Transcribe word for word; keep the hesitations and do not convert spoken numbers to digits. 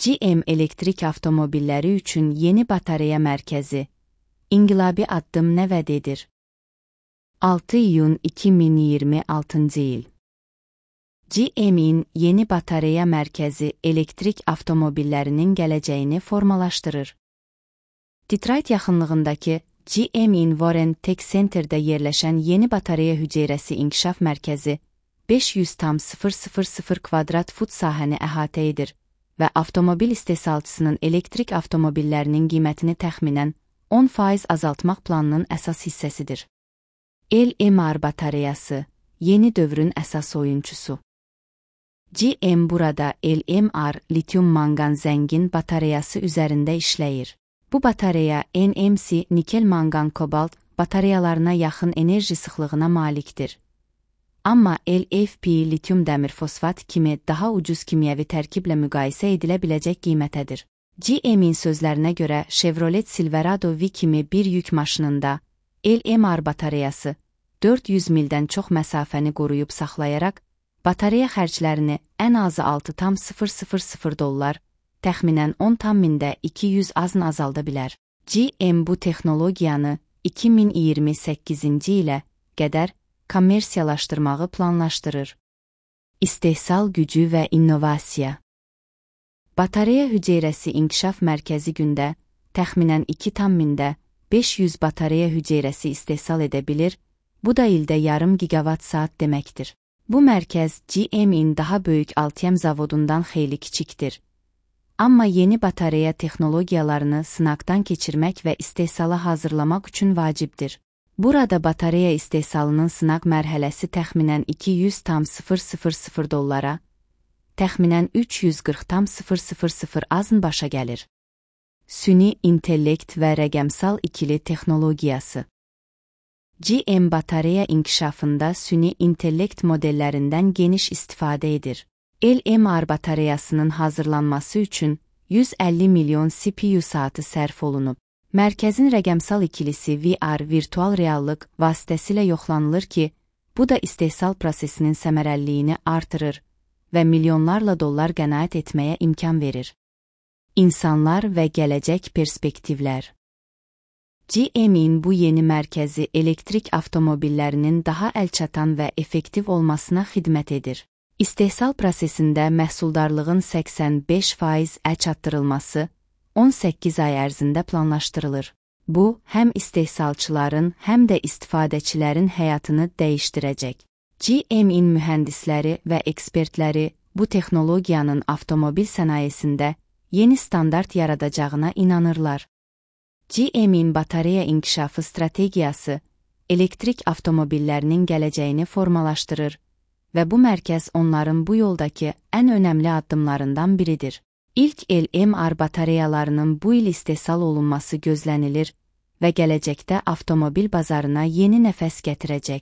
G M elektrik avtomobilləri üçün yeni batareya mərkəzi. İnqilabi addım nə vəd edir? altı iyun iki min iyirmi altıncı il. G M'in yeni batareya mərkəzi elektrik avtomobillərinin gələcəyini formalaşdırır. Detroit yaxınlığındakı G M'in Warren Tech Center'da yerləşən yeni batareya hüceyrəsi inkişaf mərkəzi beş yüz tam sıfır sıfır sıfır kvadrat fut sahəni əhatə edir və avtomobil istehsalçısının elektrik avtomobillərinin qiymətini təxminən on faiz azaltmaq planının əsas hissəsidir. L M R batareyası, yeni dövrün əsas oyunçusu. G M burada L M R lityum-manqan zəngin batareyası üzərində işləyir. Bu batareya N M C nikel-manqan-kobalt batareyalarına yaxın enerji sıxlığına malikdir. Amma L F P lityum dəmir fosfat kimi daha ucuz kimyəvi tərkiblə müqayisə edilə biləcək qiymətədir. G M'in sözlərinə görə Chevrolet Silverado V kimi bir yük maşınında L M R batareyası dörd yüz mildən çox məsafəni qoruyub saxlayaraq, batareya xərclərini ən azı altı tam sıfır sıfır sıfır dollar, təxminən on tam mində iki yüz azın azalda bilər. G M bu texnologiyanı iki min iyirmi səkkizinci ilə qədər kommersiyalaşdırmağı planlaşdırır. İstehsal gücü və innovasiya. Batareya hüceyrəsi inkişaf mərkəzi gündə təxminən iki tam mində beş yüz batareya hüceyrəsi istehsal edə bilir, bu da ildə yarım gigavat saat deməkdir. Bu mərkəz G M'in daha böyük Altium zavodundan xeyli kiçikdir. Amma yeni batareya texnologiyalarını sınaqdan keçirmək və istehsala hazırlamaq üçün vacibdir. Burada batareya istehsalının sınaq mərhələsi təxminən iki yüz tam sıfır sıfır sıfır dollara, təxminən üç yüz qırx tam sıfır sıfır sıfır azın başa gəlir. Süni intellekt və rəqəmsal ikili texnologiyası. G M batareya inkişafında süni intellekt modellərindən geniş istifadə edir. L M R batareyasının hazırlanması üçün yüz əlli milyon C P U saatı sərf olunub. Mərkəzin rəqəmsal ikilisi V R virtual reallıq vasitəsilə yoxlanılır ki, bu da istehsal prosesinin səmərəliliyini artırır və milyonlarla dollar qənaət etməyə imkan verir. İnsanlar və gələcək perspektivlər. G M'in bu yeni mərkəzi elektrik avtomobillərinin daha əlçatan və effektiv olmasına xidmət edir. İstehsal prosesində məhsuldarlığın səksən beş faiz ə çatdırılması on səkkiz ay ərzində planlaşdırılır. Bu, həm istehsalçıların, həm də istifadəçilərin həyatını dəyişdirəcək. G M'in mühəndisləri və ekspertləri bu texnologiyanın avtomobil sənayesində yeni standart yaradacağına inanırlar. G M'in batareya inkişafı strategiyası elektrik avtomobillərinin gələcəyini formalaşdırır və bu mərkəz onların bu yoldakı ən önəmli addımlarından biridir. İlk L M R batareyalarının bu il istehsal olunması gözlənilir və gələcəkdə avtomobil bazarına yeni nəfəs gətirəcək.